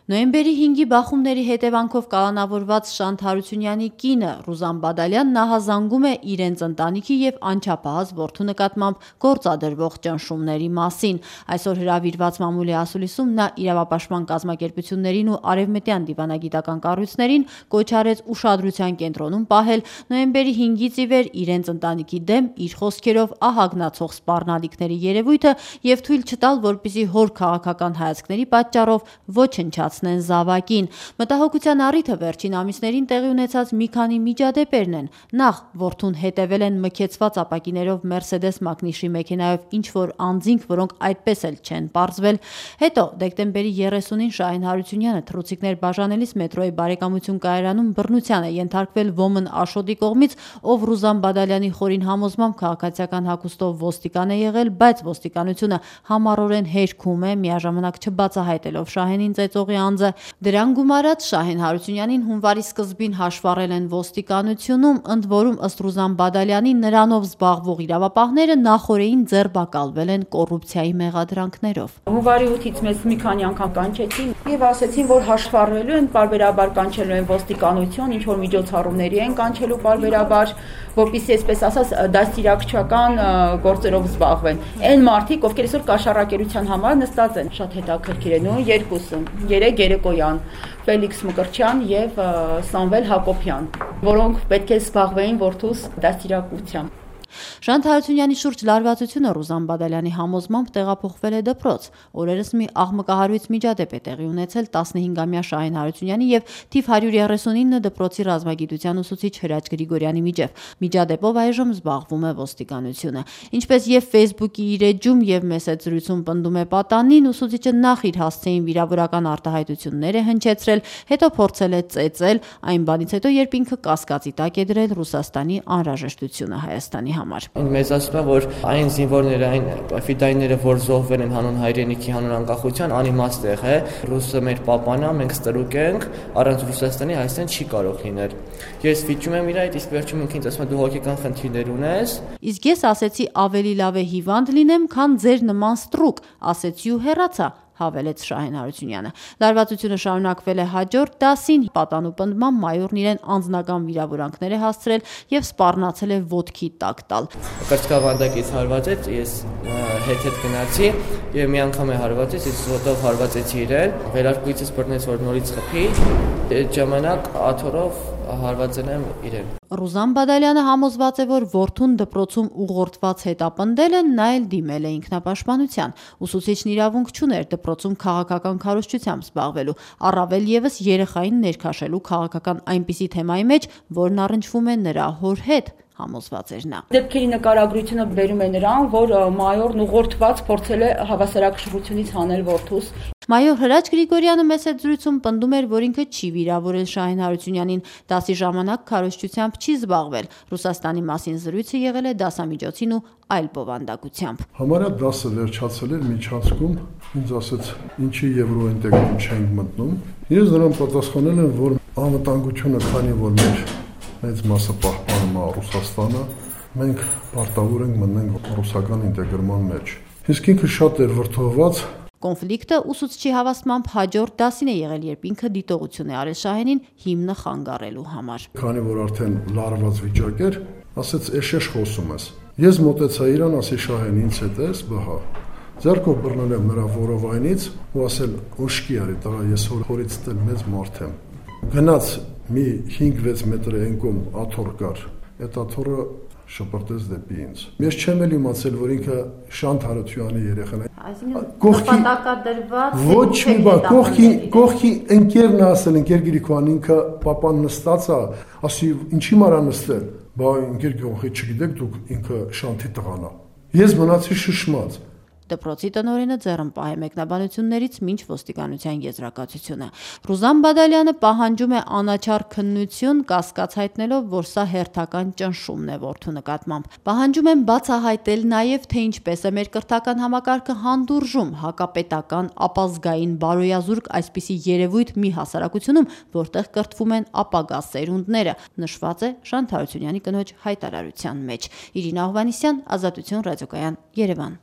Նոյեմբերի 5-ի բախումների հետևանքով կալանավորված Շանթ Հարությունյանի կինը Ռուզան Բադալյան նահազանգում է իրենց ընտանիքի և անչափահաս որդու նկատմամբ գործադրվող ճնշումների մասին։ Այսօր հրավիրված մամուլի ասուլիսում նա իրավապաշտպան կազմակերպություններին ու արևմտյան դիվանագիտական կառույցներին կոչ արեց ուշադրության կենտրոնում պահել նոյեմբերի 5-ից ի վեր իրենց ընտանիքի դեմ իր խոսքերով ահագնացող սպառնալիքների երևույթը և թույլ չտալ, որպեսզի հոր քաղաքական հայացքների պատճառով ոչնչացնեն զավակին։ Մտահոգության առիթը վերջին ամիսներին տեղի ունեցած մի քանի միջադեպերն են։ Նախ որդուն հետևել են մքեցված ապակիներով Mercedes Magnus-ի մեքենայով ինչ-որ անձինք, որոնք այդպես էլ չեն պարզվել։ Հետո դեկտեմբերի 30-ին Շահին Հարությունյանը թռուցիկներ բաժանելիս մետրոյի Բարեկամություն կայարանում բռնության է ենթարկվել ոմն Աշոտի կողմից, ով Ռուզան Բադալյանի խորին համոզմամբ քաղաքացիական հագուստով ոստիկան է եղել, բայց ոստիկանությունը համառորեն հերքում է, միաժամանակ չբացահայտելով Շահենին ծեծողի անձը։ Դրան գումարած Շահեն Հարությունյանին հունվարի սկզբին հաշվառել են ոստիկանությունում, ընդ որում ըստ Ռուզան Բադալյանի նրանով զբաղվող իրավապահները նախօրեին ձերբակալվել են կոռուպցիայի մեղադրանքներով։ Հունվարի 8-ից մեզ մի քանի անգամ կանչեցին եւ ասեցին, որ հաշվառվելու են, պարբերաբար կանչելու են ոստիկանություն, ինչ որ միջոցառումների են կանչելու պարբերաբար, որպեսզի այսպես ասած դաստիարակչական գործերով զբաղվեն։ Այն մարդիկ, ովքեր այսօր կաշառակերության համար նստած են, շատ հետաքրքիր է, նույն երկուսը, 3 երեկոյան, Ֆելիքս Մկրտչյան եւ Սամվել Հակոբյան, որոնք պետք է զբաղվեին որդուս դաստիարակությամբ։ Շանթ Հարությունյանի շուրջ լարվածությունը Ռուզան Բադալյանի համոզմամբ տեղափոխվել է դպրոց։ Օրերս մի աղմկահարույց միջադեպ է տեղի ունեցել 15-ամյա Շահին Հարությունյանի եւ թիվ 139 դպրոցի ռազմագիտության ուսուցիչ Հրաչ Գրիգորյանի միջև։ Միջադեպով այժմ զբաղվում է ոստիկանությունը։ Ինչպես եւ Facebook-ի իր էջում եւ մեսեջերում պնդում է պատանին, ուսուցիչը նախ իր հասցեին վիրավորական արտահայտություններ է հնչեցրել, հետո փորձել է ծեծել, այն բանից հետո երբ ինքը կասկածի տակ է դրել Ռուսաստանի անհրաժեշտությունը Հայաստանի համար։ Մեզ ասում է, որ այն զինվորները, այն ֆիդայինները, որ զոհվել են հանուն հայրենիքի, հանուն անկախության, անիմաստ է, ռուսը մեր պապան է, մենք ստրուկ ենք, առանց Ռուսաստանի Հայաստան չի կարող լինել։ Ես վիճում եմ իր այդ, իսկ վերջում ինքնից ասում է դու հոգեկան խնդիրներ ունես։ Իսկ ես ասեցի ավելի լավ է հիվանդ լինեմ, քան ձեր նման ստրուկ, ասեցի ու հեռացա, հավելեց Շահեն Հարությունյանը։ Լարվածությունը շարունակվել է հաջորդ դասին, պատանու պնդմամբ մայորն իրեն անձնական վիրավորանքներ է հասցրել եւ սպառնացել է ոտքի տակ տալ։ Կրծքավանդակից հարվածեց, ես հետ գնացի եւ մի անգամ է հարվածեց, ես ոտով հարվածեցի իրեն, վերարկուիցս բռնեց, որ նորից խփի, այդ ժամանակ աթոռով հարվածել եմ իրեն։ Ռուզան Բադալյանը համոզված է, որ որդուն դպրոցում ուղղորդված հետապնդել են, նա էլ դիմել է ինքնապաշտպանության։ Ուսուցիչն իրավունք չուներ դպրոցում քաղաքական քարոզչությամբ զբաղվելու, առավել եւս երեխային ներքաշելու քաղաքական այնպիսի թեմայի մեջ, որն առնչվում է նրա հոր հետ, համոզված էր նա։ Դեպքերի նկարագրությունը բերում է նրան, որ մայորն ուղղորդված փորձել է հավասարակշռությունից հանել որդուս։ Մայոր Հրաչ Գրիգորյանը մեսեջերում պնդում էր, որ ինքը չի վիրավորել Շահին Հարությունյանին, դասի ժամանակ քարոզչությամբ չի զբաղվել։ Ռուսաստանի մասին զրույցը եղել է դասամիջոցին ու այլ բովանդակությամբ։ Համարյա դասը վերջացել էր միջանցքում, ինձ ասաց, ինչի եվրոինտեգրում չենք մտնում։ Ես նրան պատասխանել եմ, որ անվտանգությունը, քանի որ մեծ մասը պահպանում է Ռուսաստանը, մենք պարտավոր ենք մտնենք ռուսական ինտեգրման մեջ։ Իսկ ինքը շատ էր վրդովված։ Կոնֆլիկտը ուսուցչի հավաստմամբ հաջորդ դասին է եղել, երբ ինքը դիտողություն է արել Շահենին հիմնը խանգարելու համար։ Քանի որ արդեն լարված վիճակ էր, ասեց «Էշեշ խոսում ես»։ Ես մոտեցա իրան, ասի Շահեն, ինձ հետ ես, բհա։ Ձեռքով բռնել եմ նրա որովայնից ու ասել «Ուշքի արի, տղա, ես հորից դել մեծ մարդ եմ»։ Գնաց մի 5-6 մետր ենկում աթոռ կար, այդ աթոռը շպրտեց դեպի ինձ։ Ես չեմ էլ իմացել, որ ինքը Շանթ Հարությունյանի երեխան է։ Նպատակադրված ոչ մի բան, կողքի ընկերն ասել, ընկեր Գրիգորյան ինքը պապան նստած է, ասի ինչի մարա նստել։ Բա ընկեր Գրիգորյան, չգիտեք դուք ինքը Շանթի տղան է։ Ես մնացի շշմած։ Դպրոցի տնօրենը ձեռնպահ է մեկնաբանություններից մինչ ոստիկանության եզրակացությունը։ Ռուզան Բադալյանը պահանջում է անաչառ քննություն, կասկած հայտնելով, որ սա հերթական ճնշումն է որդու նկատմամբ։ Պահանջում են բացահայտել նաև, թե ինչպես է մեր կրթական համակարգը հանդուրժում հակապետական, ապազգային, բարոյազուրկ այսպիսի երևույթ մի հասարակությունում, որտեղ կրթվում են ապագա սերունդները, նշված է Շանթ Հարությունյանի կնոջ հայտարարության մեջ։ Իրինա Հովհաննիսյան, Ազատություն ռադիոկայան, Երևան։